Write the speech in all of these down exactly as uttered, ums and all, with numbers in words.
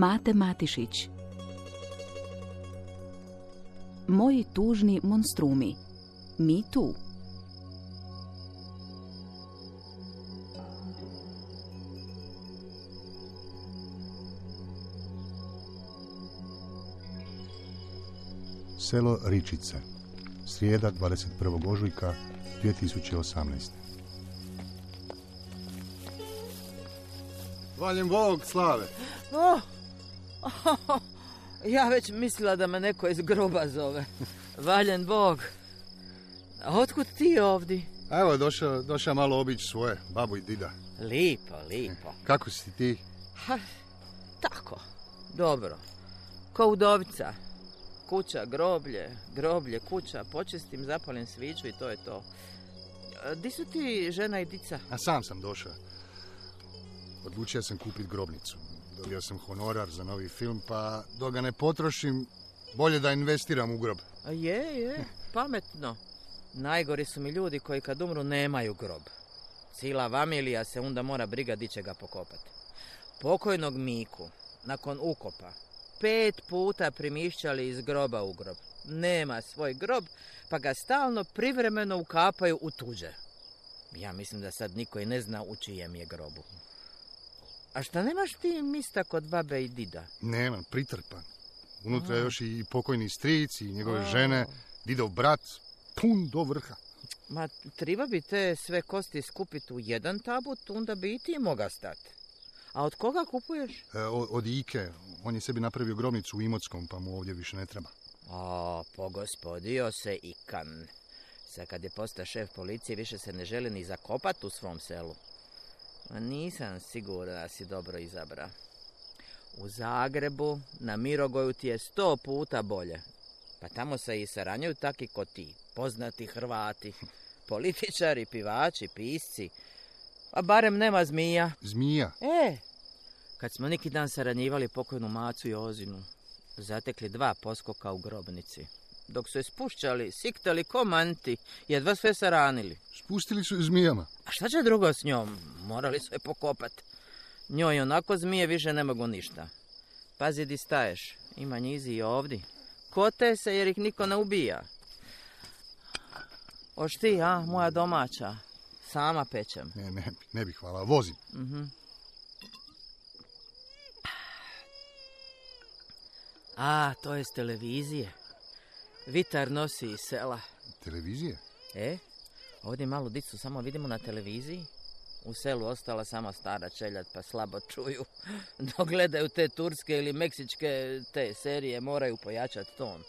Mate Matišić. Moji tužni monstrumi. Mi tu. Selo Ričice. Srijeda, dvadeset prvog ožujka dvije tisuće osamnaeste. Valjen Bog, Slave. Oh, oh, ja već mislila da me neko iz groba zove. Valjen Bog. A otkud ti ovdje? Evo, došao, došao malo obići svoje, babu i dida. Lipo, lipo. Kako si ti? Ha, tako, dobro. Ko udovica. Kuća, groblje, groblje, kuća, počistim, zapalim sviću i to je to. Di su ti žena i dica? A sam sam došao. Odlučio sam kupiti grobnicu. Dobio sam honorar za novi film, pa dok ga ne potrošim, bolje da investiram u grob. A je, je, pametno. Najgori su mi ljudi koji kad umru nemaju grob. Cijela familija se onda mora briga di će ga pokopati. Pokojnog Miku, nakon ukopa, pet puta primišćali iz groba u grob. Nema svoj grob, pa ga stalno privremeno ukapaju u tuđe. Ja mislim da sad niko i ne zna u čijem je grobu. A šta nemaš ti mista kod babe i dida? Nemam, pritrpan. Unutra je A. još i pokojni stric i njegove A. žene, didov brat, pun do vrha. Ma, treba bi te sve kosti skupiti u jedan tabut, onda bi i ti moga stati. A od koga kupuješ? E, od, od Ike, on je sebi napravio grobnicu u Imotskom, pa mu ovdje više ne treba. O, pogospodio se Ikan. Sad kad je postao šef policije, više se ne želi ni zakopati u svom selu. Ma nisam siguran da si dobro izabra. U Zagrebu, na Mirogoju ti je sto puta bolje. Pa tamo se i saranjaju taki ko ti, poznati Hrvati. Političari, pivači, pisci. A barem nema zmija. Zmija? E, kad smo neki dan saranjivali pokojnu Macu i Ozinu, zatekli dva poskoka u grobnici. Dok su je spušćali, siktali ko manti, jedva sve saranili. Spustili su je zmijama. A šta će drugo s njom? Morali su je pokopat. Njoj onako zmije više ne mogu ništa. Pazi di staješ, ima njizi i ovdje. Kote se jer ih niko ne ubija. Oš ti, a, moja domaća. Sama pečem. Ne, ne, ne bih, hvala, vozim. Mhm. A, to je s televizije. Vitar nosi iz sela. Televizije? E, ovdje malu dicu samo vidimo na televiziji. U selu ostala samo stara čeljad pa slabo čuju. Dok gledaju te turske ili meksičke te serije moraju pojačati ton.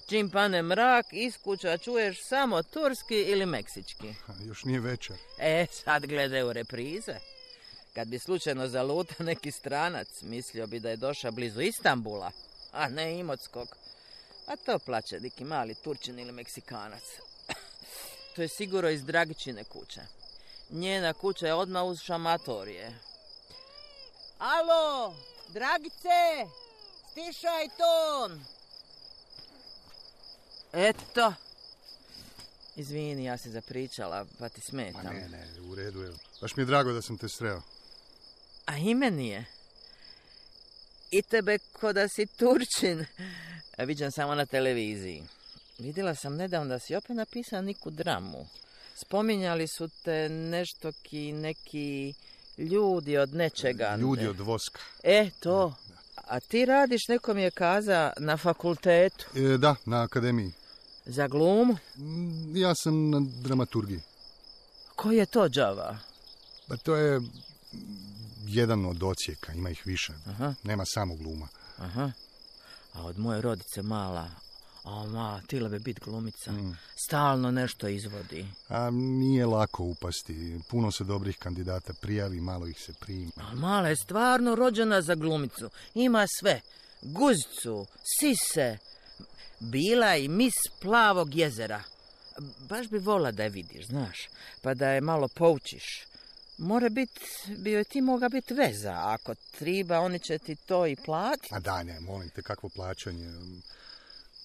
Čim pane mrak, iz kuća čuješ samo turski ili meksički. Ha, još nije večer. E, sad gledaju reprize. Kad bi slučajno zaluta neki stranac, mislio bi da je došao blizu Istambula, a ne Imotskog. A to plaće neki mali Turčin ili Meksikanac. To je sigurno iz Dragičine kuće. Njena kuća je odmah uz šamatorije. Alo, Dragice, stišaj ton. Eto. Izvini, ja se zapričala, pa ti smetam. Ma ne, ne, u redu je. Baš mi je drago da sam te sreo. A i meni je. I tebe ko da si Turčin. A viđam samo na televiziji. Vidjela sam nedavno da si opet napisao neku dramu. Spominjali su te nešto ki neki ljudi od nečega. Ljudi od voska. E, to. A ti radiš, neko mi je kaza, na fakultetu. E, da, na akademiji. Za glumu? Mm, Ja sam na dramaturgiji. Koji je to džava? Pa to je jedan od ocijeka, ima ih više. Aha. Nema samo gluma. Aha. A od moje rodice mala, a ma, tila bi bit glumica. Mm. Stalno nešto izvodi. A nije lako upasti. Puno se dobrih kandidata prijavi, malo ih se prima. A mala je stvarno rođena za glumicu. Ima sve. Guzicu, sise. Bila i mis Plavog jezera. Baš bi vola da je vidiš, znaš. Pa da je malo poučiš. Mora bit, bi joj ti moga biti veza. Ako triba, oni će ti to i platiti. A da, ne, molim te, kakvo plaćanje.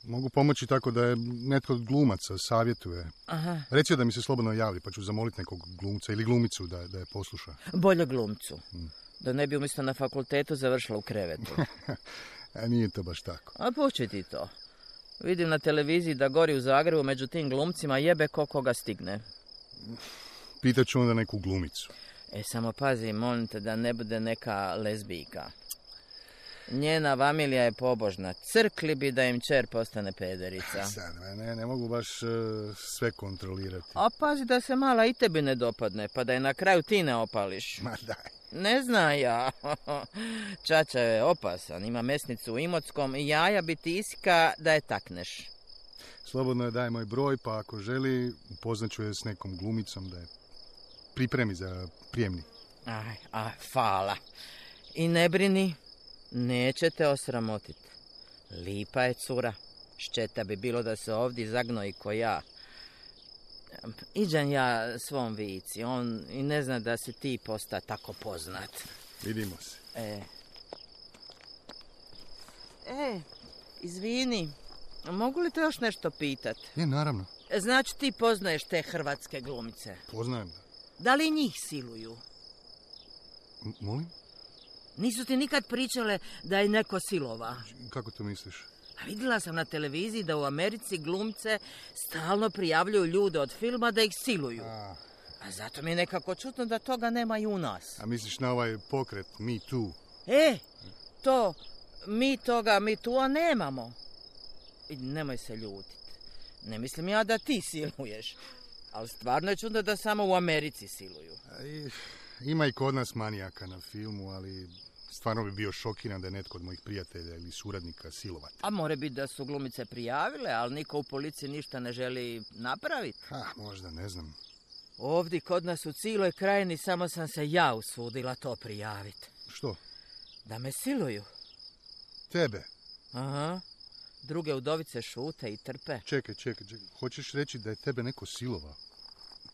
Mogu pomoći tako da je netko od glumaca savjetuje. Aha. Reci da mi se slobodno javi, pa ću zamoliti nekog glumca ili glumicu da, da je posluša. Bolje glumcu. Hmm. Da ne bi umjesto na fakultetu završila u krevetu. A nije to baš tako. A pući ti to. Vidim na televiziji da gori u Zagrebu među tim glumcima jebe ko koga stigne. Pitaću onda neku glumicu. E, samo pazi, molim te da ne bude neka lezbijka. Njena familija je pobožna. Crkli bi da im čer postane pederica. Sad, ne, ne mogu baš uh, sve kontrolirati. A pazi da se mala i tebi ne dopadne, pa da je na kraju ti ne opališ. Ma daj. Ne zna ja. Čača je opasan, ima mesnicu u Imotskom i jaja bi ti iska da je takneš. Slobodno je daj moj broj, pa ako želi, upoznaću je s nekom glumicom da je pripremi za prijemni. Aj, a, hvala. I ne brini, neće te osramotiti. Lipa je cura. Ščeta bi bilo da se ovdje zagnoji ko ja. Iđem ja svom Vici, on i ne zna da si ti posta tako poznat. Vidimo se. E, e izvini, mogu li te još nešto pitat? Je, naravno. Znači ti poznaješ te hrvatske glumice? Poznajem da. Da li njih siluju? M- molim? Nisu ti nikad pričale da je neko silova? Kako to misliš? A vidjela sam na televiziji da u Americi glumce stalno prijavljuju ljude od filma da ih siluju. A, A zato mi je nekako čudno da toga nema i u nas. A misliš na ovaj pokret Me Too? E, to, mi toga Me Too-a nemamo. I nemoj se ljutiti. Ne mislim ja da ti siluješ. Ali stvarno je čudno da samo u Americi siluju. I, ima i kod nas manijaka na filmu, ali stvarno bi bio šokiran da je netko od mojih prijatelja ili suradnika silovati. A more biti da su glumice prijavile, ali niko u policiji ništa ne želi napraviti. Ha, možda, ne znam. Ovdje kod nas u cijeloj krajini samo sam se ja usudila to prijaviti. Što? Da me siluju. Tebe? Aha. Druge udovice šute i trpe. Čekaj, čekaj, čekaj. Hoćeš reći da je tebe neko silovao?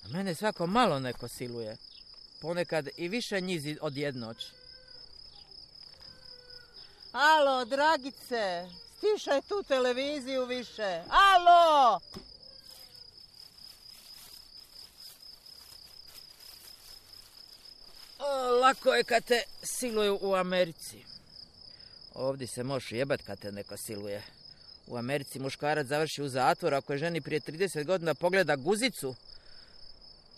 Mene svako malo neko siluje. Ponekad i više njih od jednoći. Alo, dragice, stišaj tu televiziju više. Alo! O, lako je kad te siluju u Americi. Ovdje se možeš jebat kad te neko siluje. U Americi muškarac završi u zatvoru ako je ženi prije trideset godina pogleda guzicu.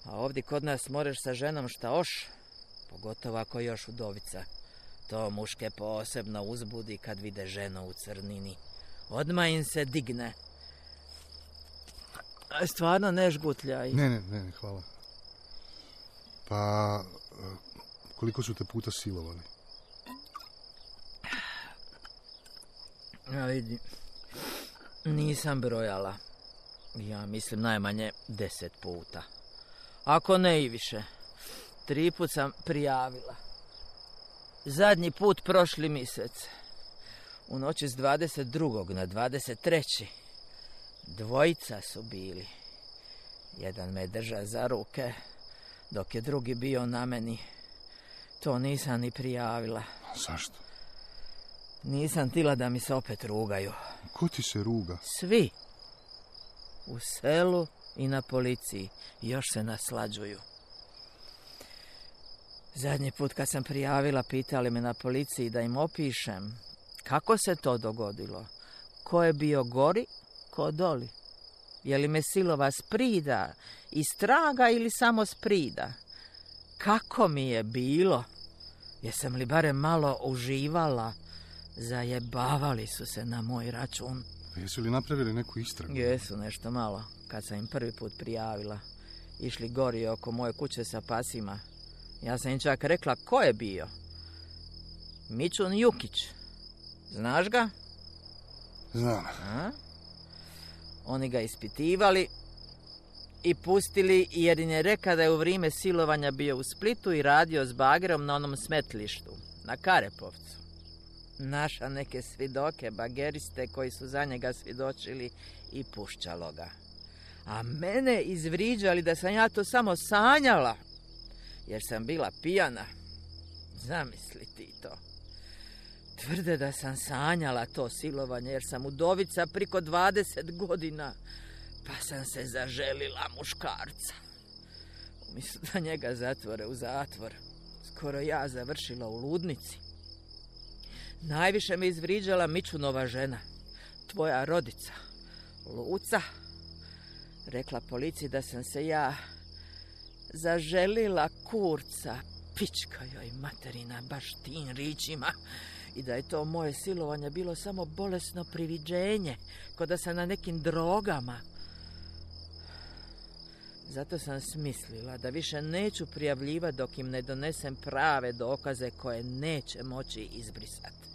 A ovdje kod nas moraš sa ženom šta oš, pogotovo ako je još udovica. To muške posebno uzbudi kad vide ženu u crnini. Odmah im se digne. A stvarno ne žgutljaj. Ne, ne, ne, hvala. Pa, koliko su te puta silovali? Ja vidi, nisam brojala. Ja mislim najmanje deset puta. Ako ne i više. Tri put sam prijavila. Zadnji put prošli mjesec. U noći s dvadeset drugog na dvadeset treći Dvojica su bili. Jedan me drža za ruke, dok je drugi bio na meni. To nisam ni prijavila. Zašto? Nisam tila da mi se opet rugaju. Ko ti se ruga? Svi. U selu i na policiji. Još se naslađuju. Zadnji put kad sam prijavila, pitali me na policiji da im opišem kako se to dogodilo. Ko je bio gori, ko doli. Je li me silova sprida, iz traga ili samo sprida? Kako mi je bilo? Jesam li barem malo uživala? Zajebavali su se na moj račun. Jesu li napravili neku istragu? Jesu, nešto malo. Kad sam im prvi put prijavila. Išli gori oko moje kuće sa pasima. Ja sam im čak rekla ko je bio. Mičun Jukić. Znaš ga? Znam. A? Oni ga ispitivali i pustili jer im je reka da je u vrijeme silovanja bio u Splitu i radio s bagerom na onom smetlištu, na Karepovcu. Naša neke svidoke, bageriste koji su za njega svjedočili i pušćalo ga. A mene izvriđali da sam ja to samo sanjala, jer sam bila pijana. Zamisli ti to. Tvrde da sam sanjala to silovanje jer sam udovica priko dvadeset godina, pa sam se zaželila muškarca. Umjesto da njega zatvore u zatvor, skoro ja završila u ludnici. Najviše me izvriđala Mičunova žena, tvoja rodica, Luca. Rekla policiji da sam se ja zaželila kurca, pička joj materina, baš tim ričima, i da je to moje silovanje bilo samo bolesno priviđenje, ko da sam na nekim drogama. Zato sam smislila da više neću prijavljivati dok im ne donesem prave dokaze koje neće moći izbrisati.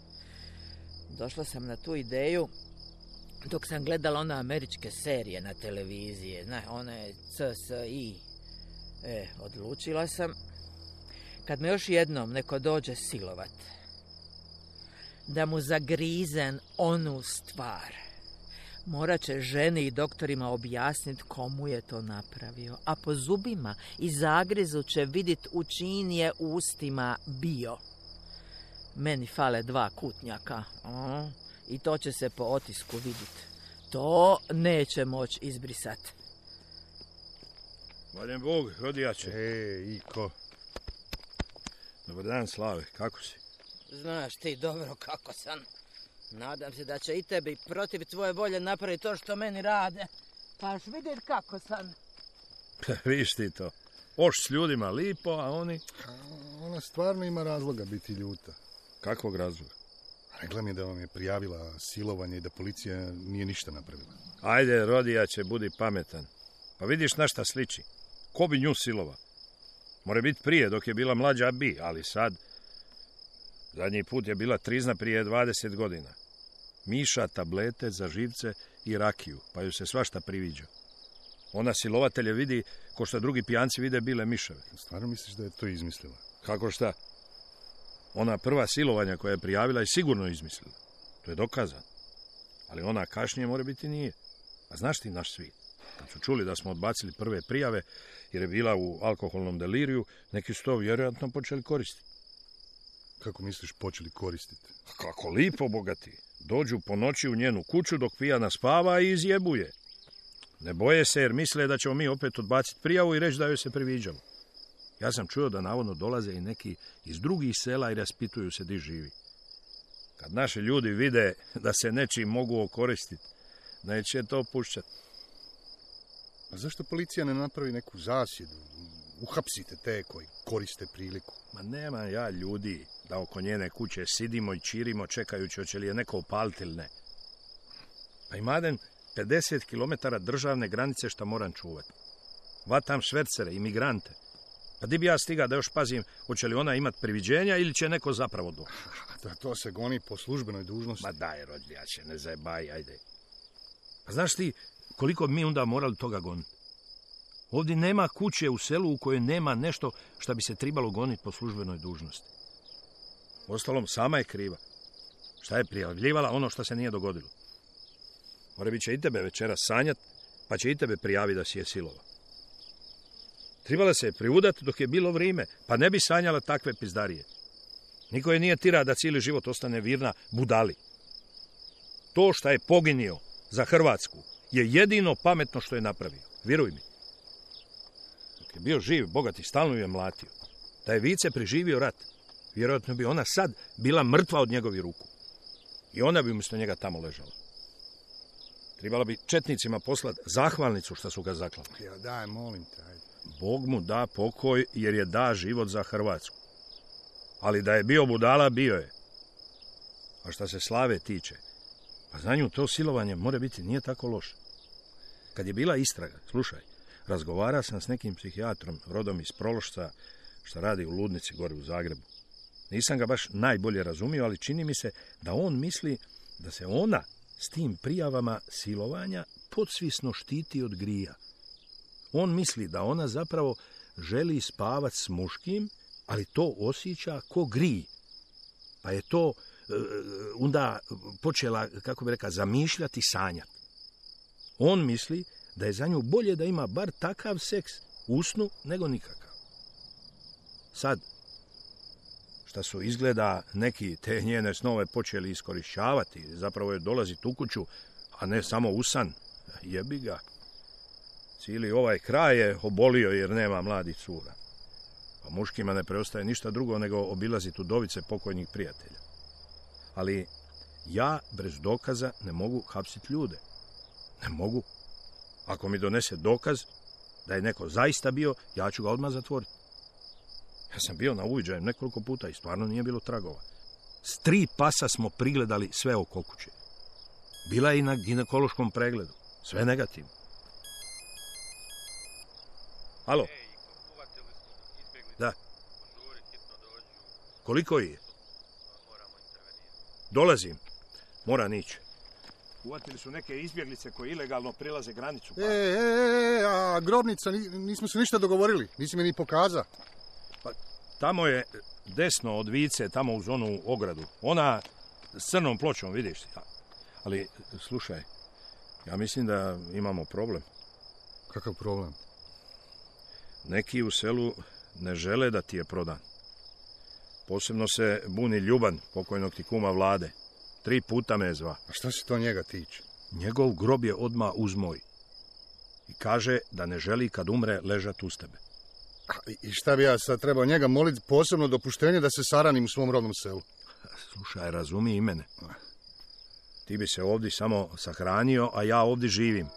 Došla sam na tu ideju dok sam gledala one američke serije na televiziji, zna, one C S I. E, odlučila sam, kad me još jednom neko dođe silovat, da mu zagrizem onu stvar. Morat će ženi i doktorima objasniti komu je to napravio, a po zubima i zagrizu će vidjet u čijim je ustima bio. Meni fale dva kutnjaka, a? I to će se po otisku vidjeti. To neće moći izbrisati. Valjen Bog, rodijače. E, Iko. Dobar dan, Slave, kako si? Znaš ti dobro kako sam. Nadam se da će i tebi protiv tvoje volje napraviti to što meni rade. Pa još vidjeti kako sam. Viš ti to. Oš s ljudima lipo, a oni... A ona stvarno ima razloga biti ljuta. Kakvog razloga? Rekla mi je da vam je prijavila silovanje i da policija nije ništa napravila. Ajde, rodijače, budi pametan. Pa vidiš na šta sliči. Ko bi nju silova? More biti prije, dok je bila mlađa bi, ali sad... Zadnji put je bila trizna prije dvadeset godina. Miša, tablete za živce i rakiju, pa ju se svašta priviđa. Ona silovatelje vidi ko što drugi pijanci vide bile miševe. Stvarno misliš da je to izmislila? Kako šta? Ona prva silovanja koja je prijavila je sigurno izmislila. To je dokazano. Ali ona kašnije mora biti nije. A znaš ti naš svijet? Kad su čuli da smo odbacili prve prijave jer je bila u alkoholnom deliriju, neki su to vjerojatno počeli koristiti. Kako misliš počeli koristiti? Kako lipo, bogati. Dođu po noći u njenu kuću dok pijana spava i izjebuje. Ne boje se jer misle da ćemo mi opet odbaciti prijavu i reći da joj se priviđamo. Ja sam čuo da navodno dolaze i neki iz drugih sela i raspituju se di živi. Kad naši ljudi vide da se nečim mogu okoristiti, neće to pušćati. A zašto policija ne napravi neku zasjedu? Uhapsite te koji koriste priliku. Ma nema ja ljudi da oko njene kuće sidimo i čirimo čekajući hoće li je neko upaliti ili ne. Pa imadem pedeset kilometara državne granice što moram čuvati. Vatam švercere, imigrante. Pa di bi ja stiga da još pazim hoće li ona imati priviđenja ili će neko zapravo doći. Da to se goni po službenoj dužnosti. Ma daj, rodljače, ne zajebaj, ajde. Pa znaš ti koliko bi mi onda morali toga goniti? Ovdje nema kuće u selu u kojoj nema nešto što bi se trebalo goniti po službenoj dužnosti. Ostalom, sama je kriva. Šta je prijavljivala ono što se nije dogodilo? Mora bit će i tebe večeras sanjat, pa će i tebe prijaviti da si je silova. Trebala se je priudat dok je bilo vrijeme, pa ne bi sanjala takve pizdarije. Niko je nije tira da cijeli život ostane virna budali. To što je poginio za Hrvatsku je jedino pametno što je napravio. Vjeruj mi. Dok je bio živ, bogati, stalno ju je mlatio. Da je Vice preživio rat, vjerojatno bi ona sad bila mrtva od njegovih ruku. I ona bi umjesto njega tamo ležala. Trebala bi četnicima poslati zahvalnicu što su ga zaklali. Ja daj, molim te, ajde. Bog mu da pokoj jer je da život za Hrvatsku. Ali da je bio budala, bio je. A što se Slave tiče, pa za nju to silovanje mora biti nije tako loše. Kad je bila istraga, slušaj, razgovara sam s nekim psihijatrom, rodom iz Prološca, što radi u ludnici gore u Zagrebu. Nisam ga baš najbolje razumio, ali čini mi se da on misli da se ona s tim prijavama silovanja podsvisno štiti od grija. On misli da ona zapravo želi spavat s muškim, ali to osjeća ko grij. Pa je to e, onda počela, kako bi rekao, zamišljati, sanjati. On misli da je za nju bolje da ima bar takav seks u snu nego nikakav. Sad, šta su izgleda neki te njene snove počeli iskorišćavati. Zapravo je dolaziti u kuću, a ne samo u san. Jebi ga. Cijeli ovaj kraj je obolio jer nema mladih cura. Pa muškima ne preostaje ništa drugo nego obilaziti udovice pokojnih prijatelja. Ali ja bez dokaza ne mogu hapsiti ljude. Ne mogu. Ako mi donese dokaz da je neko zaista bio, ja ću ga odmah zatvoriti. Ja sam bio na uviđaju nekoliko puta i stvarno nije bilo tragova. S tri pasa smo prigledali sve oko kuće. Bila je i na ginekološkom pregledu. Sve negativno. Alo? Da. Koliko je? Dolazim. Mora nići. Uvatili su neke izbjeglice koje ilegalno prilaze granicu. Pa... E, e, e, a grobnica, nismo se ništa dogovorili. Nisi mi ni pokazao. Pa, tamo je desno od Vice, tamo uz onu ogradu. Ona s crnom pločom, vidiš. Ali, slušaj, ja mislim da imamo problem. Kakav problem? Neki u selu ne žele da ti je prodan. Posebno se buni Ljuban, pokojnog ti kuma Vlade. Tri puta me zva. A šta se to njega tiče? Njegov grob je odmah uz moj. I kaže da ne želi kad umre ležat uz tebe. A, I šta bi ja sad trebao njega moliti posebno dopuštenje da se saranim u svom rodnom selu? Slušaj, razumi i mene. Ti bi se ovdje samo sahranio, a ja ovdje živim.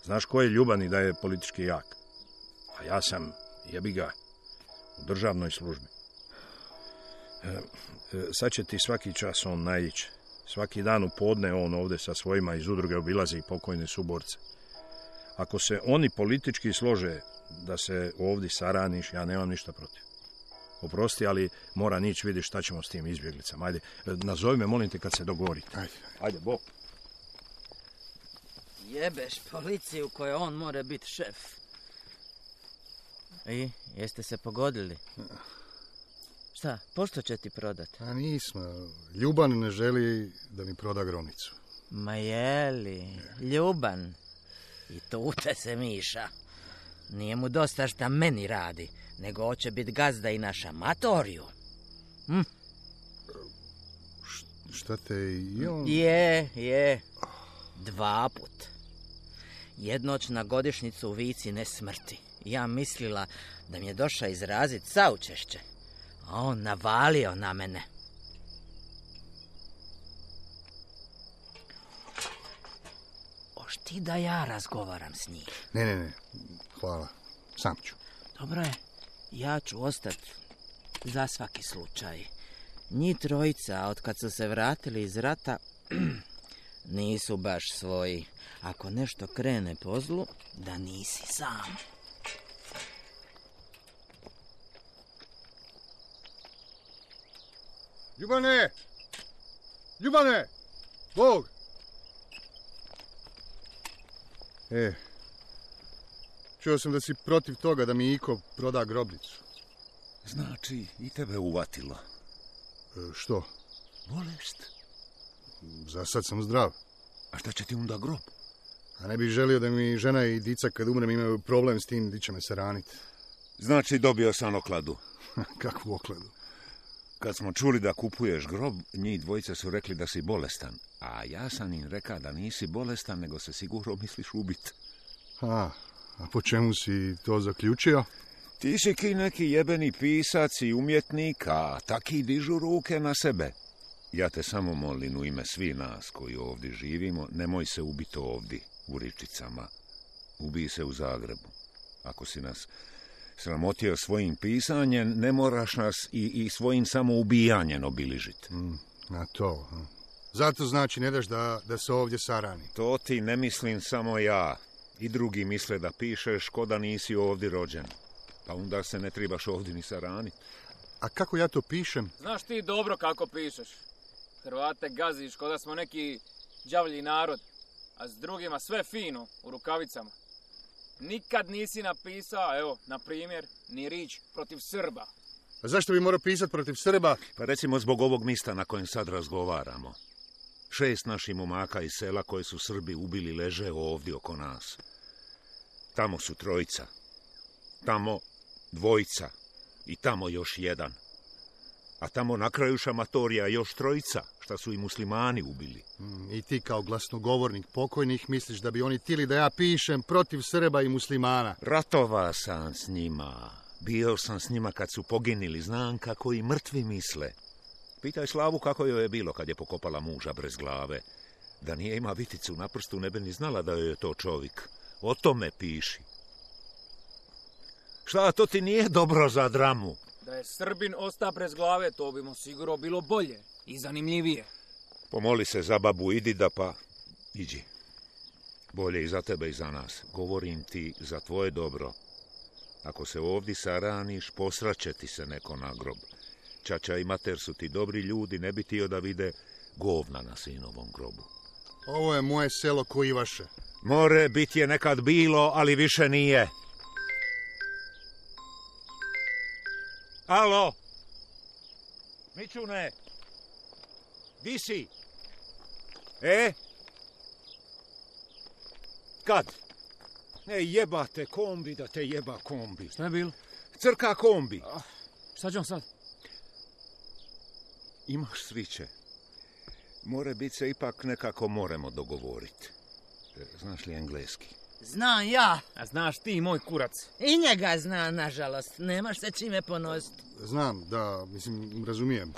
Znaš ko je Ljuban i da je politički jak? A ja sam, jebi ga, u državnoj službi. E, e, sad će ti svaki čas on naići. Svaki dan u podne on ovdje sa svojima iz udruge obilazi i pokojne suborce. Ako se oni politički slože da se ovdje saraniš, ja nemam ništa protiv. Oprosti, ali mora nići vidi šta ćemo s tim izbjeglicama. Ajde, nazovi me, molim te, kad se dogovorite. Ajde, ajde, bok. Jebeš policiju koje on mora biti šef. I, jeste se pogodili? Šta, pošto će ti prodati? A nismo. Ljuban ne želi da mi proda grobnicu. Ma jeli, Ljuban. I tu te se miša. Nije mu dosta šta meni radi, nego hoće biti gazda i na šamatoriju. Hm? Š, šta te i on... Je, je. Dva put. Jednoć na godišnjicu u Vici ne smrti. Ja mislila da mi je došao izrazit saučešće. A on navalio na mene. Oš ti da ja razgovaram s njim? Ne, ne, ne. Hvala. Sam ću. Dobro je. Ja ću ostati za svaki slučaj. Njih trojica, od kad su se vratili iz rata, nisu baš svoji. Ako nešto krene po zlu, da nisi sam. Ljubane! Ljubane! Bog! E, čuo sam da si protiv toga da mi Iko proda grobnicu. Znači, i tebe uvatilo. E, što? Bolest? Za sad sam zdrav. A šta će ti onda grob? A ne bih želio da mi žena i dica kad umrem imaju problem s tim di će me se raniti. Znači, dobio sam okladu. Kakvu okladu? Kad smo čuli da kupuješ grob, njih dvojice su rekli da si bolestan. A ja sam im rekao da nisi bolestan, nego se sigurno misliš ubit. A, a po čemu si to zaključio? Ti si ki neki jebeni pisac i umjetnik, a taki dižu ruke na sebe. Ja te samo molim u ime svi nas koji ovdje živimo, nemoj se ubiti ovdje, u Ričicama. Ubij se u Zagrebu. Ako si nas sramotio svojim pisanjem, ne moraš nas i, i svojim samoubijanjem obiližiti. Mm, na to. Hm. Zato znači ne daš da, da se ovdje sarani. To ti ne mislim samo ja. I drugi misle da pišeš ko da nisi ovdje rođen. Pa onda se ne trebaš ovdje ni saraniti. A kako ja to pišem? Znaš ti dobro kako pišeš. Hrvate gaziš ko da smo neki đavlji narod, a s drugima sve fino, u rukavicama. Nikad nisi napisao, evo, na primjer, ni rič protiv Srba. A zašto bi morao pisati protiv Srba? Pa recimo zbog ovog mista na kojem sad razgovaramo. Šest naših momaka iz sela koje su Srbi ubili leže ovdje oko nas. Tamo su trojica. Tamo dvojica. I tamo još jedan. A tamo na kraju šamatorija još trojica, šta su i muslimani ubili. Mm, I ti kao glasnogovornik pokojnih misliš da bi oni tili da ja pišem protiv Srba i muslimana? Ratova sam s njima. Bio sam s njima kad su poginili, znam kako i mrtvi misle. Pitaj Slavu kako joj je bilo kad je pokopala muža bez glave. Da nije ima viticu na prstu, ne bi ni znala da joj je to čovjek. O tome piši. Šta, to ti nije dobro za dramu? Da je Srbin osta bez glave, to bi mu sigurno bilo bolje i zanimljivije. Pomoli se za babu, idi da pa iđi. Bolje i za tebe i za nas. Govorim ti za tvoje dobro. Ako se ovdje saraniš, posraće ti se neko na grob. Čača i mater su ti dobri ljudi, ne bi tio da vide govna na sinovom grobu. Ovo je moje selo ko i vaše. More bit je nekad bilo, ali više nije. Alo? Mičune? Di si? E? Kad? E, jebate kombi da te jeba kombi. Šta je bilo? Crka kombi. Ah, šta ćemo sad? Imaš sviće. More bit se ipak nekako moramo dogovoriti. Znaš li engleski? Znam ja. A znaš ti, moj kurac? I njega zna, nažalost. Nemaš se čime ponositi. Znam, da, mislim, razumijem.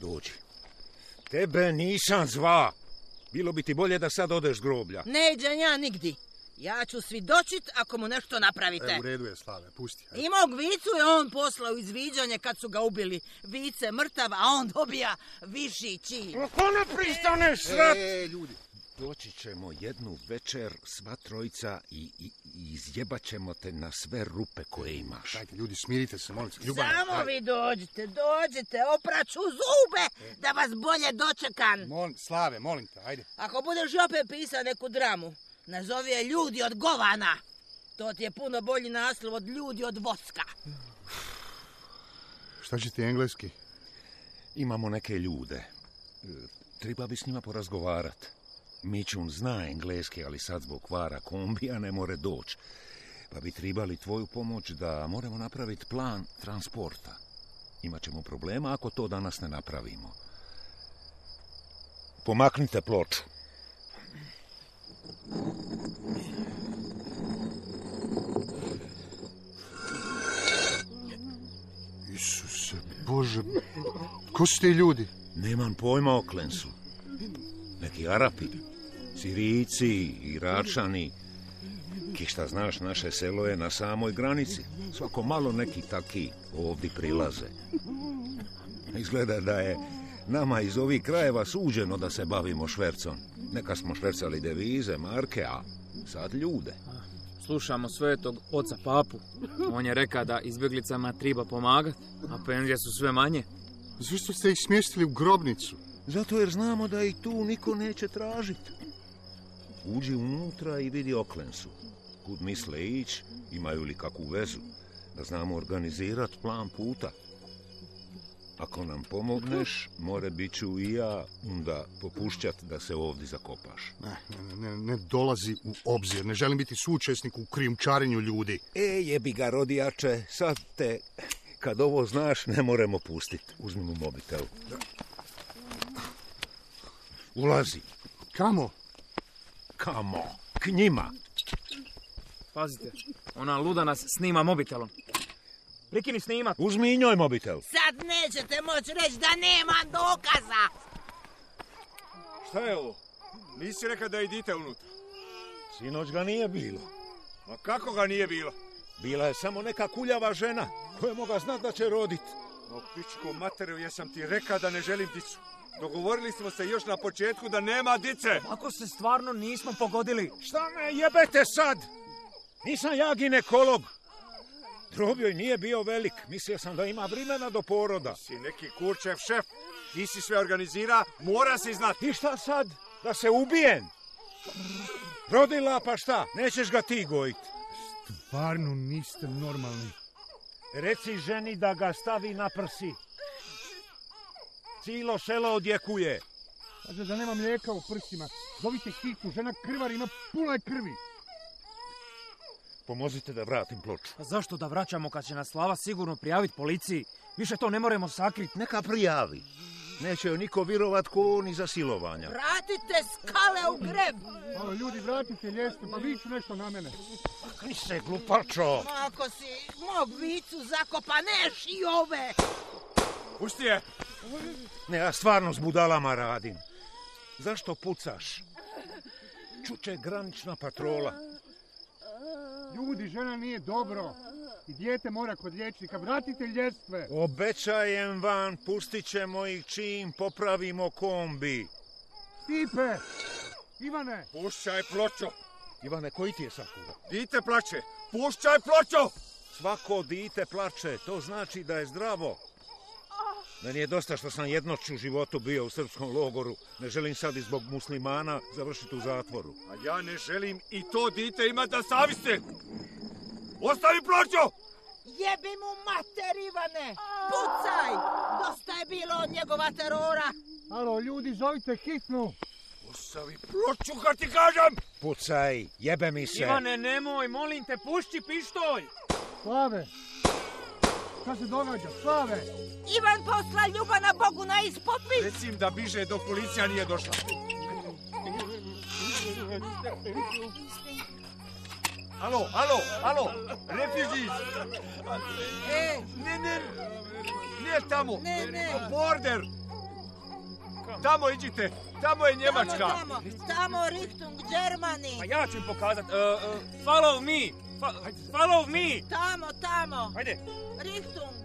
Dođi. Tebe nisam zva. Bilo bi ti bolje da sad odeš s groblja. Ne iđem ja nigdi. Ja ću svidočit ako mu nešto napravite. E, u redu je, Slave, pusti. I mog Vicu je on poslao izviđanje kad su ga ubili. Vice mrtav, a on dobija viši čin. Ako ne pristaneš, srat! E, ljudi. Doći ćemo jednu večer, sva trojica, i, i, i izjebat ćemo te na sve rupe koje imaš. Dajte, ljudi, smirite se, molim se. Ljubana, Samo daj. vi dođite, dođite, opraću zube da vas bolje dočekam. Molim, Slave, molim te, ajde. Ako budeš opet pisao neku dramu, nazovi je Ljudi od govana. To ti je puno bolji naslov od Ljudi od voska. Šta će ti engleski? Imamo neke ljude. E, Treba bi s njima porazgovarat. Mičun zna engleski, ali sad zbog kvara kombija ne more doći. Pa bi trebali tvoju pomoć da moramo napraviti plan transporta. Imaćemo problema ako to danas ne napravimo. Pomaknite ploču. Isuse Bože, ko su ti ljudi? Nemam pojma o Klensu. Neki Arapi, Sirijci, Iračani. Ki šta znaš, naše selo je na samoj granici. Svako malo neki taki ovdje prilaze. Izgleda da je nama iz ovih krajeva suđeno da se bavimo švercom. Neka smo švercali devize, marke, a sad ljude. Slušamo svetog oca papu. On je rekao da izbjeglicama treba pomagati, a penzije su sve manje. Zašto ste ih smjestili u grobnicu? Zato jer znamo da i tu niko neće tražiti. Uđi unutra i vidi Oklensu. Kud misle ići, imaju li kakvu vezu, da znamo organizirati plan puta. Ako nam pomogneš, more bit ću i ja onda popušćat da se ovdje zakopaš. Ne, ne, ne, ne dolazi u obzir. Ne želim biti suučesnik u krijumčarenju ljudi. E, jebi ga, rodijače, sad te, kad ovo znaš, ne moremo pustiti. Uzmi mu mobitel. Ulazi. Kamo? Kamo? K njima. Pazite, ona luda nas snima mobitelom. Prikini snimat. Uzmi i njoj mobitel. Sad nećete moći reći da nema dokaza. Šta je ovo? Nisi rekao da idite unutra. Sinoć ga nije bilo. Ma kako ga nije bilo? Bila je samo neka kuljava žena koja moga znat da će rodit. O pičko materiju, jesam ti rekao da ne želim dicu. Dogovorili smo se još na početku da nema dice. Ako se stvarno nismo pogodili. Šta me jebete sad? Nisam ja ginekolog. Grob joj nije bio velik. Mislio sam da ima vremena do poroda. Si neki kurčev šef. Ti si sve organizira, mora si znati. I šta sad? Da se ubijem? Rodila pa šta? Nećeš ga ti gojit. Stvarno niste normalni. Reci ženi da ga stavi na prsi. Cijelo selo odjekuje. Kaže da nema mlijeka u prsima. Zovite hitnu, žena krvar, ima puno je krvi. Pomozite da vratim ploču. A zašto da vraćamo kad će nas Slava sigurno prijaviti policiji? Više to ne moramo sakriti. Neka prijavi. Neće joj niko virovat ko ni za silovanja. Vratite skale u greb! Malo ljudi, vratite ljestve, pa viču nešto na mene. Kri se, glupačo! Ako si mog vicu zakopaneš i ove! Pusti je! Ne, ja stvarno s budalama radim. Zašto pucaš? Čuče granična patrola. Ljudi, žena nije dobro. I dijete mora kod liječnika. Vratite ljestve. Obećajem vam, pustit ćemo ih čim popravimo kombi. Stipe! Ivane! Pušćaj pločo! Ivane, koji ti je sakuva? Dite plače! Pušćaj pločo! Svako dite plače, to znači da je zdravo. Meni je dosta što sam jednoć u životu bio u srpskom logoru. Ne želim sad i zbog muslimana završiti u zatvoru. A ja ne želim i to dite imati na savjesti! Ostavi pločo! Jebi mu mater, Ivane! Pucaj! Dosta je bilo od njegova terora! Alo, ljudi, zovite hitnu! Ostavi ploču, kad ti kažem! Pucaj, jebe mi se! Ivane, nemoj, molim te, pušći pištolj! Slave! Šta se događa? Slave! Ivan posla Ljubana Bogu na ispopis! Recim da biže dok policija nije došla. Alo, alo, alo, refugees! E, Ne, ne, nije tamo, Ne, ne. border! Tamo iđite, tamo je Njemačka. Tamo, tamo, tamo Richtung Germany! Pa ja ću im pokazat. Uh, uh, follow me! Fa- follow me! Tamo, tamo! Hajde! Richtung!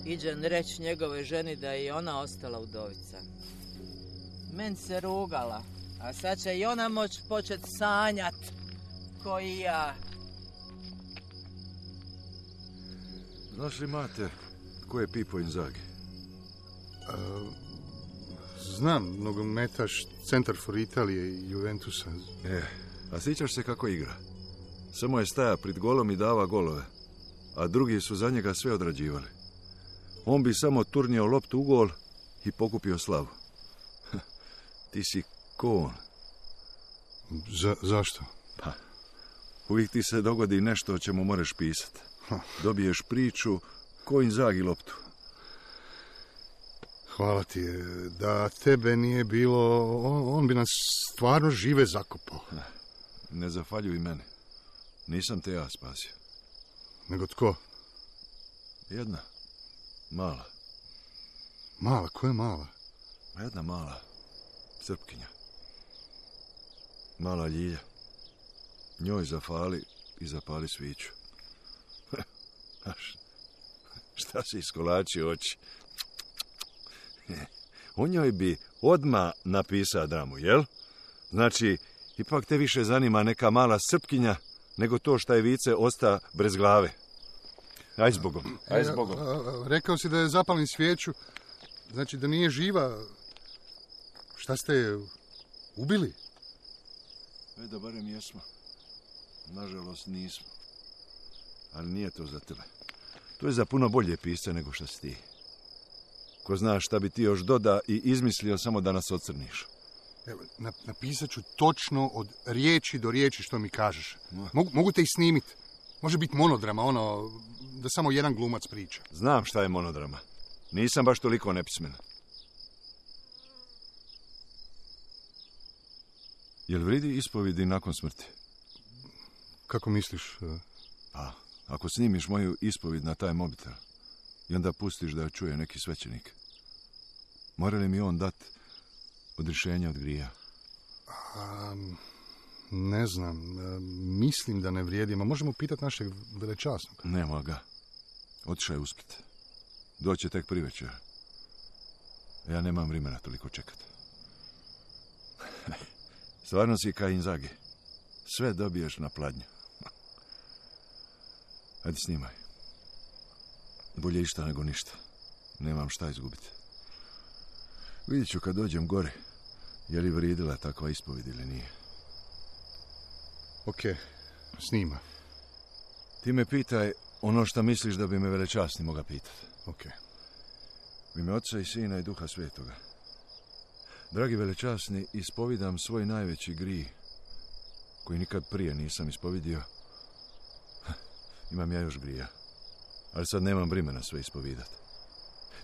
Iđem reći njegovoj ženi da je i ona ostala udovica. Men se rugala, a sad će i ona moć počet sanjat, ko i ja. Znaš li, Mate, ko je Pipo Inzaghi? Znam, nogometaš, centar for Italije i Juventusa. E, a sjećaš se kako igra? Samo je staja pred golom i dava golove, a drugi su za njega sve odrađivali. On bi samo turnio loptu u gol i pokupio slavu. Ti si ko on. Za, zašto? Pa, uvijek ti se dogodi nešto o čemu moraš pisati. Dobiješ priču ko Inzaghi loptu. Hvala ti. Da tebe nije bilo, on, on bi nas stvarno žive zakopao. Ne zafaljuj mene. Nisam te ja spasio. Nego tko? Jedna. Mala. Mala? Ko je mala? Jedna mala. Srpkinja. Mala Ljilja. Njoj zafali i zapali sviću. Šta si iskolačio oči? O njoj bi odmah napisao dramu, jel? Znači, ipak te više zanima neka mala Srpkinja nego to šta je Vice osta bez glave. Aj zbogom, aj zbogom. E, a, a, rekao si da je zapalni svijeću, znači da nije živa. Šta ste je ubili? E da barem jesmo. Nažalost nismo. Ali nije to za tebe. To je za puno bolje pisce nego što si ti. Ko zna šta bi ti još doda i izmislio samo da nas ocrniš. Evo, napisat ću točno od riječi do riječi što mi kažeš. Mogu, mogu te i snimiti. Može biti monodrama, ono, da samo jedan glumac priča. Znam šta je monodrama. Nisam baš toliko nepismen. Jel vridi ispovidi nakon smrti? Kako misliš? Pa, ako snimiš moju ispovid na taj mobitel i onda pustiš da je čuje neki svećenik, mora li mi on dat odrješenje od grija? A, ne znam. Mislim da ne vrijedi. Ma možemo pitati našeg velečasnog. Nema ga. Otišao je u Split. Doće tek privečer. Ja nemam vremena toliko čekati. Stvarno si kao Inzaghi. Sve dobiješ na pladnju. Ajde, snimaj. Bolje išta nego ništa. Nemam šta izgubiti. Vidjet ću kad dođem gore, je li vrijedila takva ispoved ili nije. Ok, snima. Ti me pitaj ono što misliš da bi me velečasni moga pitati. Ok. U ime Oca i Sina i Duha Svetoga. Dragi velečasni, ispovidam svoj najveći grih, koji nikad prije nisam ispovidio, imam ja još grija. Ali sad nemam vremena sve ispovidat.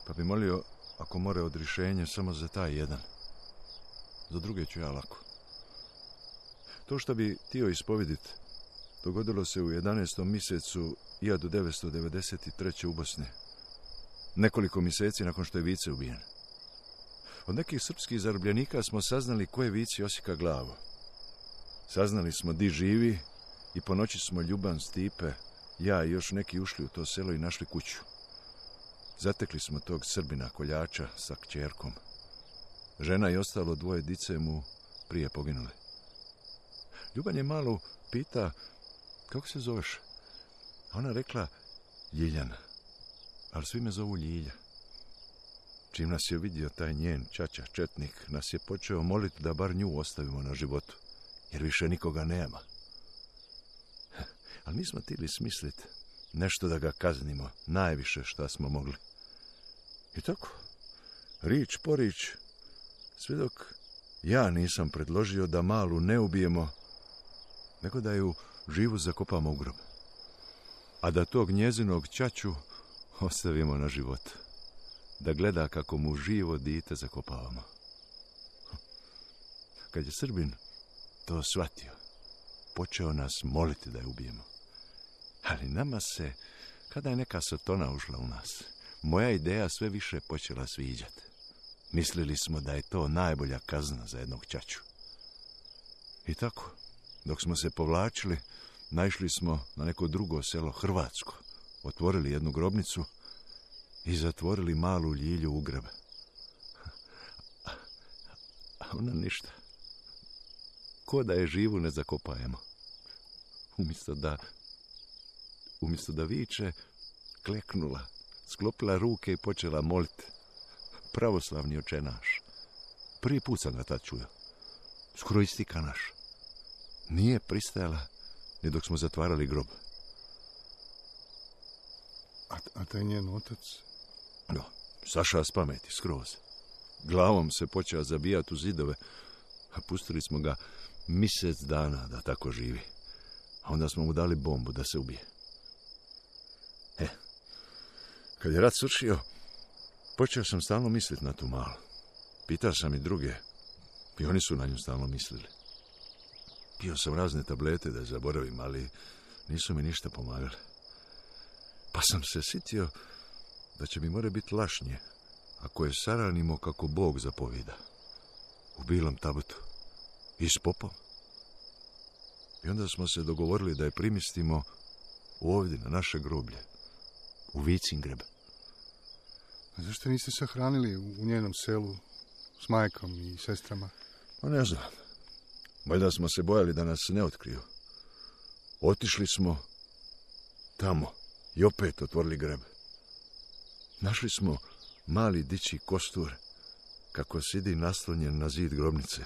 Pa bi molio, ako more odrišenje, samo za taj jedan. Za druge ću ja lako. To što bi htio ispovidit, dogodilo se u jedanaestom mjesecu hiljadu devetsto devedeset treće. u Bosni. Nekoliko mjeseci nakon što je Vice ubijen. Od nekih srpskih zarobljenika smo saznali ko je Vici osika glavu. Saznali smo di živi i po noći smo Ljuban, Stipe, ja i još neki ušli u to selo i našli kuću. Zatekli smo tog Srbina koljača sa kćerkom. Žena i ostalo dvoje dice mu prije poginuli. Ljuban je malo pita, kako se zoveš? A ona rekla, Ljiljana, ali svi me zovu Ljilja. Čim nas je vidio taj njen čača, četnik, nas je počeo moliti da bar nju ostavimo na životu, jer više nikoga nema. Ali mi smo htjeli smisliti nešto da ga kaznimo, najviše šta smo mogli. I tako, rič po rič, sve dok ja nisam predložio da malu ne ubijemo, nego da ju živu zakopamo u grob. A da tog njezinog čaču ostavimo na životu. Da gleda kako mu živo dite zakopavamo. Kad je Srbin to shvatio, počeo nas moliti da je ubijemo. Ali nama se, kada je neka sotona ušla u nas, moja ideja sve više počela sviđati. Mislili smo da je to najbolja kazna za jednog čaču. I tako, dok smo se povlačili, naišli smo na neko drugo selo, Hrvatsko. Otvorili jednu grobnicu i zatvorili malu Ljilju u grb. A ona ništa. Ko da je živu ne zakopajemo. Umjesto da, umjesto da viče, kleknula, sklopila ruke i počela moliti. Pravoslavni oče naš. Prvi put sam ga tad čuo. Skoro isti ka naš. Nije pristajala ni dok smo zatvarali grob. A, a taj njen otac? No, saša s pameti, skroz. Glavom se počeo zabijati u zidove, a pustili smo ga mjesec dana da tako živi. A onda smo mu dali bombu da se ubije. E, kad je rat svršio, počeo sam stalno misliti na tu malu. Pitao sam i druge, i oni su na nju stalno mislili. Pio sam razne tablete da je zaboravim, ali nisu mi ništa pomagali. Pa sam se sitio da će mi more biti lašnje ako je saranimo kako Bog zapovida. U bilom tabutu. I s popom. I onda smo se dogovorili da je primistimo ovdje na naše groblje. U Vicin greb. A zašto niste sahranili u njenom selu s majkom i sestrama? Pa ne znam. Valjda smo se bojali da nas ne otkriju. Otišli smo tamo i opet otvorili greb. Našli smo mali dičji kostur kako sidi naslonjen na zid grobnice.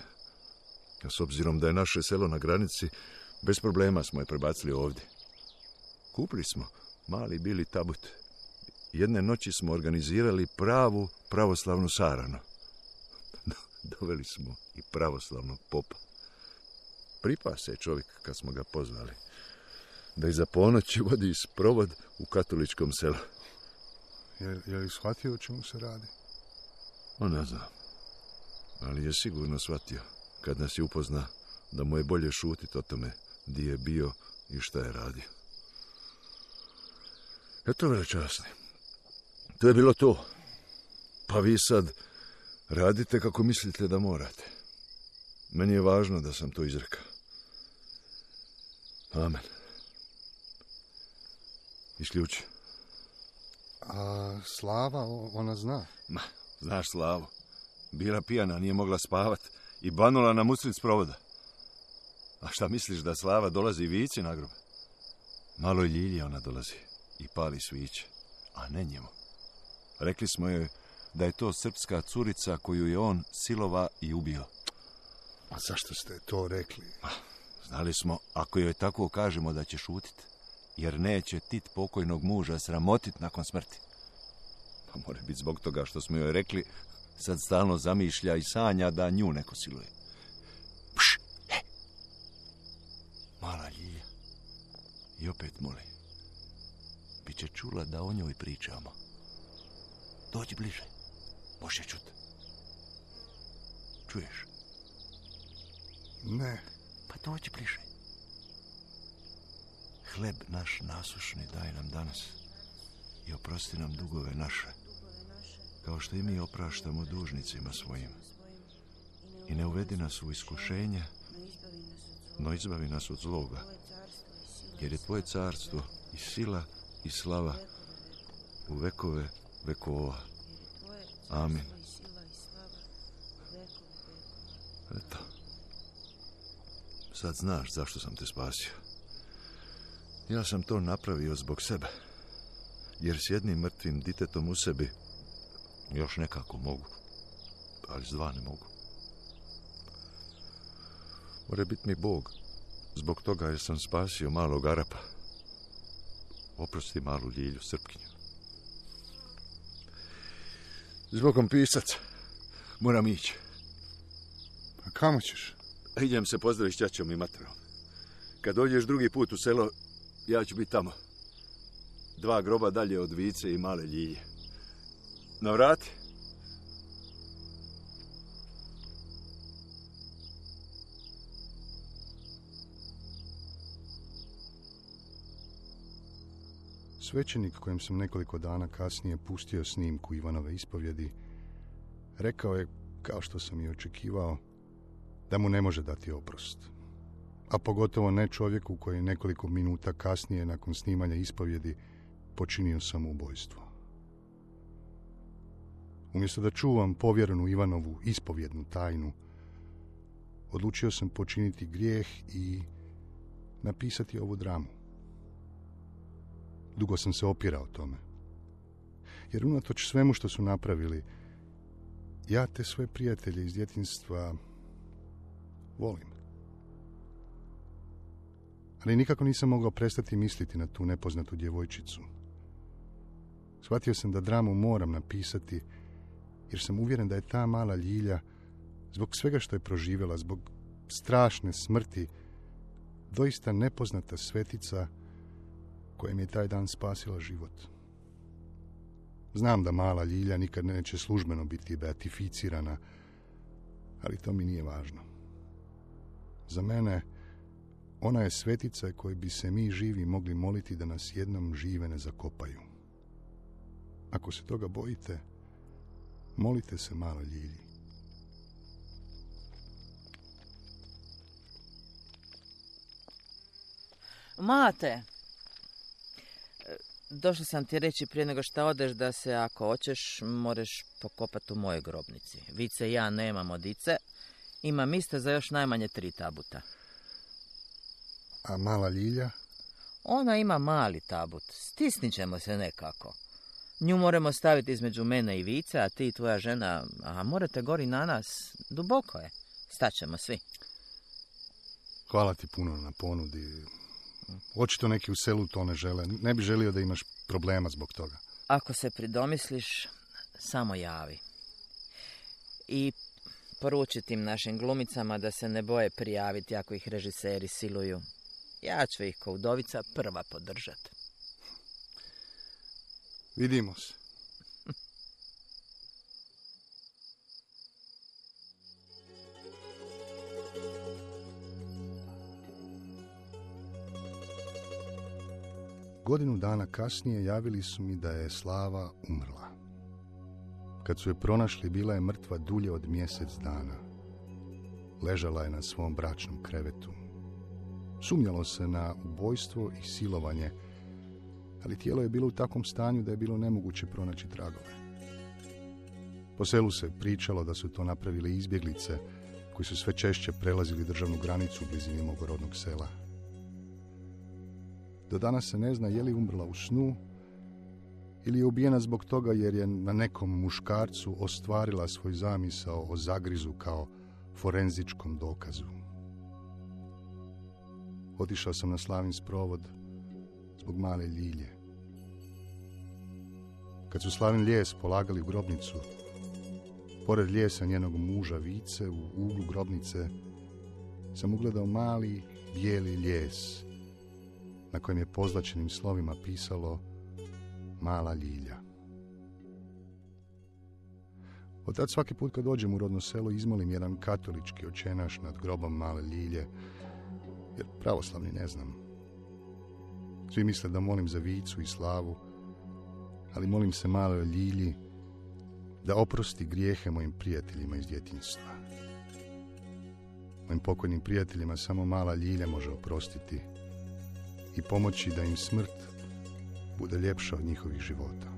A s obzirom da je naše selo na granici, bez problema smo je prebacili ovdje. Kupili smo mali bili tabut. Jedne noći smo organizirali pravu pravoslavnu saranu. Doveli smo i pravoslavnog popa. Pripa se čovjek kad smo ga pozvali da iza ponoći vodi sprovod u katoličkom selu. Je, je li shvatio o čemu se radi? O, ne znam. Ali je sigurno shvatio kad nas je upozna da mu je bolje šutiti o tome di je bio i šta je radio. Eto, velečasni. To je bilo to. Pa vi sad radite kako mislite da morate. Meni je važno da sam to izrekao. Amen. Isključi. A Slava, ona zna? Ma, znaš Slavu. Bila pijana, nije mogla spavat i banula nam usred sprovoda. A šta misliš da Slava dolazi Vici na grob? Maloj Ljilji ona dolazi i pali sviće, a ne njemu. Rekli smo joj da je to srpska curica koju je on silova i ubio. A zašto ste to rekli? Znali smo, ako joj tako kažemo da će šutit, jer neće Tit pokojnog muža sramotit nakon smrti. Pa mora biti zbog toga što smo joj rekli, sad stalno zamišlja i sanja da nju neko siluje. Pš, he. Mala Ljilja. I opet moli. Biće čula da o njoj pričamo. Dođi bliže. Može čut. Čuješ? Ne. Pa dođi bliže. Hleb naš nasušni daj nam danas i oprosti nam dugove naše, kao što i mi opraštamo dužnicima svojim. I ne uvedi nas u iskušenje, no izbavi nas od zloga, jer je tvoje carstvo i sila i slava u vekove vekova. Amin. Eto, sad znaš zašto sam te spasio. Ja sam to napravio zbog sebe, jer s jednim mrtvim ditetom u sebi još nekako mogu, ali s dva ne mogu. More biti mi Bog, zbog toga jer sam spasio malog Arapa. Oprosti malu Ljilju Srpkinju. Zbogom pisac, moram ići. A kamo ćeš? Idem se pozdraviti s ćaćom i materom. Kad dođeš drugi put u selo, ja ću biti tamo. Dva groba dalje od Vice i male Ljilje. Na vrati. Svećenik kojem sam nekoliko dana kasnije pustio snimku Ivanove ispovjedi, rekao je, kao što sam i očekivao, da mu ne može dati oprost. A pogotovo ne čovjeku koji je nekoliko minuta kasnije nakon snimanja ispovjedi počinio samoubojstvo. Umjesto da čuvam povjerenu Ivanovu ispovjednu tajnu, odlučio sam počiniti grijeh i napisati ovu dramu. Dugo sam se opirao tome. Jer unatoč svemu što su napravili, ja te sve prijatelje iz djetinjstva volim. Ali nikako nisam mogao prestati misliti na tu nepoznatu djevojčicu. Shvatio sam da dramu moram napisati, jer sam uvjeren da je ta mala Ljilja, zbog svega što je proživjela, zbog strašne smrti, doista nepoznata svetica koja mi je taj dan spasila život. Znam da mala Ljilja nikad neće službeno biti beatificirana, ali to mi nije važno. Za mene ona je svetica kojoj bi se mi živi mogli moliti da nas jednom žive ne zakopaju. Ako se toga bojite, molite se maloj Ljilji. Mate, došla sam ti reći prije nego što odeš da se, ako hoćeš, moraš pokopati u mojoj grobnici. Vice i ja nemamo dice, imam isto za još najmanje tri tabuta. A mala Ljilja? Ona ima mali tabut, stisnit ćemo se nekako. Nju moramo staviti između mene i Vice, a ti i tvoja žena, a morate gori na nas, duboko je. Staćemo svi. Hvala ti puno na ponudi. Očito neki u selu to ne žele. Ne bi želio da imaš problema zbog toga. Ako se pridomisliš, samo javi. I poruči tim našim glumicama da se ne boje prijaviti ako ih režiseri siluju. Ja ću ih ko udovica prva podržati. Vidimo se. Godinu dana kasnije javili su mi da je Slava umrla. Kad su je pronašli, bila je mrtva dulje od mjesec dana. Ležala je na svom bračnom krevetu. Sumnjalo se na ubojstvo i silovanje, ali tijelo je bilo u takvom stanju da je bilo nemoguće pronaći tragove. Po selu se pričalo da su to napravili izbjeglice koji su sve češće prelazili državnu granicu u blizini mog rodnog sela. Do danas se ne zna je li umrla u snu ili je ubijena zbog toga jer je na nekom muškarcu ostvarila svoj zamisao o zagrizu kao forenzičkom dokazu. Otišao sam na Slavin sprovod zbog male Ljilje. Kad su Slavin lijes polagali u grobnicu, pored lijesa njenog muža Vice u uglu grobnice sam ugledao mali bijeli lijes na kojem je pozlačenim slovima pisalo Mala Ljilja. Od tad svaki put kad dođem u rodno selo izmolim jedan katolički očenaš nad grobom Male Ljilje, jer pravoslavni ne znam. Svi misle da molim za Vicu i Slavu, ali molim se Maloj Ljilji da oprosti grijehe mojim prijateljima iz djetinjstva. Mojim pokojnim prijateljima samo Mala Ljilja može oprostiti i pomoći da im smrt bude ljepša od njihovih života.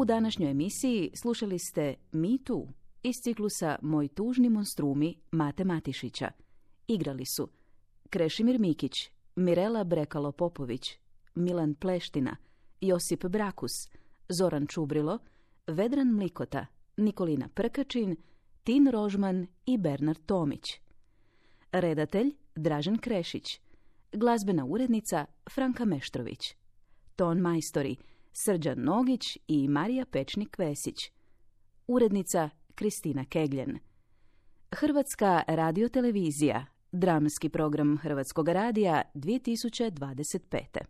U današnjoj emisiji slušali ste Mi tu iz ciklusa Moj tužni monstrumi Mate Matišića. Igrali su Krešimir Mikić, Mirela Brekalo-Popović, Milan Pleština, Josip Brakus, Zoran Čubrilo, Vedran Mlikota, Nikolina Prkačin, Tin Rožman i Bernard Tomić. Redatelj Dražen Krešić. Glazbena urednica Franka Meštrović. Ton majstori Srđan Nogić i Marija Pečnik-Vesić. Urednica Kristina Kegljen. Hrvatska radiotelevizija. Dramski program Hrvatskog radija dvije tisuće dvadeset pete.